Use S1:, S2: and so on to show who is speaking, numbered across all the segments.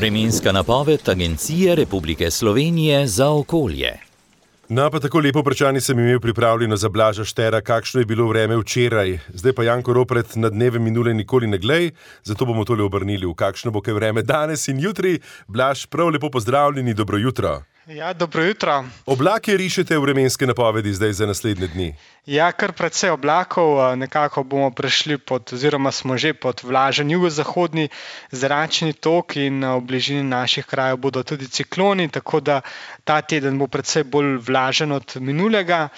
S1: Vremenska napoved Agencije Republike Slovenije za okolje.
S2: No, pa tako lepo vprašanje sem imel pripravljeno za Blaža Štera, kakšno je bilo vreme včeraj. Zdaj pa Janko Ropret na dneve minule nikoli ne glej, zato bomo tole obrnili v kakšno bo kaj vreme danes in jutri. Blaž, prav lepo pozdravljeni, dobro jutro.
S3: Ja, dobro jutro.
S2: Oblake rišete v vremenske napovedi zdaj za naslednje dni?
S3: Ja, kar precej oblakov, nekako bomo prešli oziroma smo že pod vlažen jugozahodni zračni tok in v bližini naših krajev bodo tudi cikloni, tako da ta teden bo precej bolj vlažen od minulega.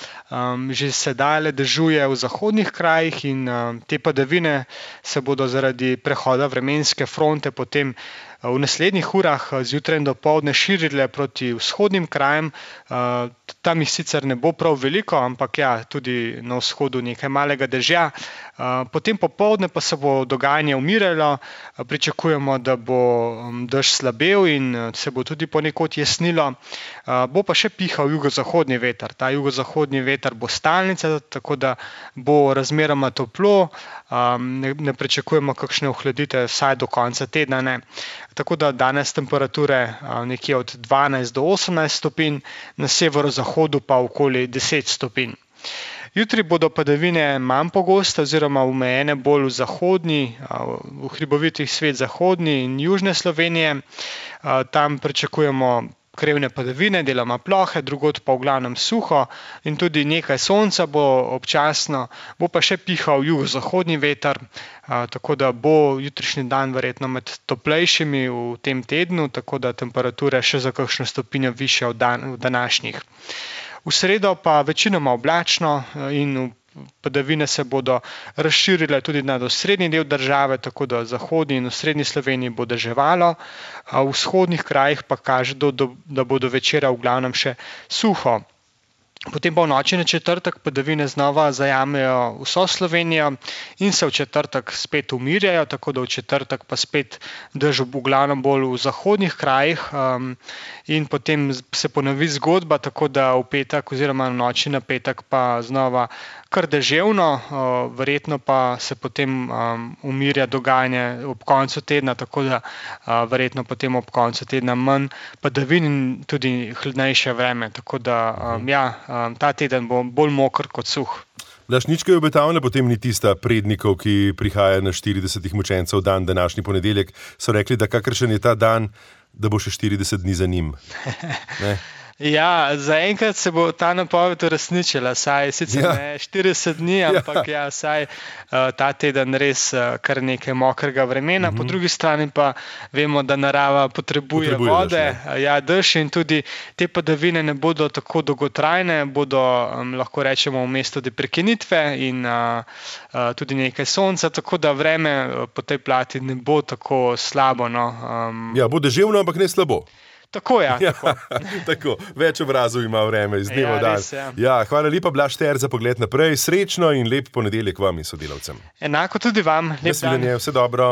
S3: Že sedaj dežuje v zahodnih krajih in te padavine se bodo zaradi prehoda vremenske fronte potem v naslednjih urah zjutraj in dopoldne širile proti vzhodnim krajem. Tam jih sicer ne bo prav veliko, ampak ja, tudi na vzhodu nekaj malega dežja. Potem popoldne pa se bo dogajanje umiralo, pričakujemo, da bo dež slabel in se bo tudi ponekod jesnilo. Bo pa še pihal jugozahodni veter. Ta jugozahodni veter bo stalnica, tako da bo razmeroma toplo, ne pričakujemo kakšne ohladitve vsaj do konca tedna ne. Tako da danes temperature nekje od 12 do 18 stopinj, na severozahodu pa okoli 10 stopinj. Jutri bodo padavine manj pogoste oziroma omejene bolj v zahodni, v hribovitih svet zahodni in južne Slovenije. Tam pričakujemo krevne padavine, deloma plohe, drugod pa v glavnem suho in tudi nekaj sonca bo občasno, bo pa še pihal jugozahodni veter, tako da bo jutrišnji dan verjetno med toplejšimi v tem tednu, tako da temperature še za kakšno stopinjo višje od današnjih. V sredo pa večinoma oblačno in padavine se bodo razširile tudi nad osrednji del države, tako da v zahodni in osrednji Sloveniji bo deževalo, a v vzhodnih krajih pa kaže, da bo do večera v glavnem še suho. Potem pa v noči na četrtek padavine znova zajamejo vso Slovenijo in se v četrtek spet umirjajo, tako da v četrtek pa spet dež v glavnem bolj v zahodnih krajih in potem se ponovi zgodba, tako da v petek oziroma v noči na petek pa znova kar deževno, verjetno pa se potem umirja dogajanje ob koncu tedna, tako da verjetno potem ob koncu tedna manj padavin in tudi hladnejše vreme, tako da ta teden bo bolj moker kot suh.
S2: Blaž, nič kaj obetavne potem ni tista prednikov, ki prihaja na 40 mučencev dan, današnji ponedeljek, so rekli, da kakršen je ta dan, da bo še 40 dni za njim. Ne?
S3: Ja, zaenkrat se bo ta napoved uresničila, saj sicer ne 40 dni, ampak saj ta teden res kar nekaj mokrega vremena. Po drugi strani pa vemo, da narava potrebuje vode, dež in tudi te padavine ne bodo tako dolgotrajne, bodo lahko rečemo v mestu prekinitve in tudi nekaj sonca, tako da vreme po tej plati ne bo tako slabo.
S2: Bo deževno, ampak ne slabo.
S3: Tako je.
S2: Tako, več obrazov ima vreme iz dneva v dan. Hvala lepa, Blaž Šter, za pogled naprej. Srečno in lep ponedeljek vam in sodelavcem.
S3: Enako tudi vam. Lep dan.
S2: Vse dobro.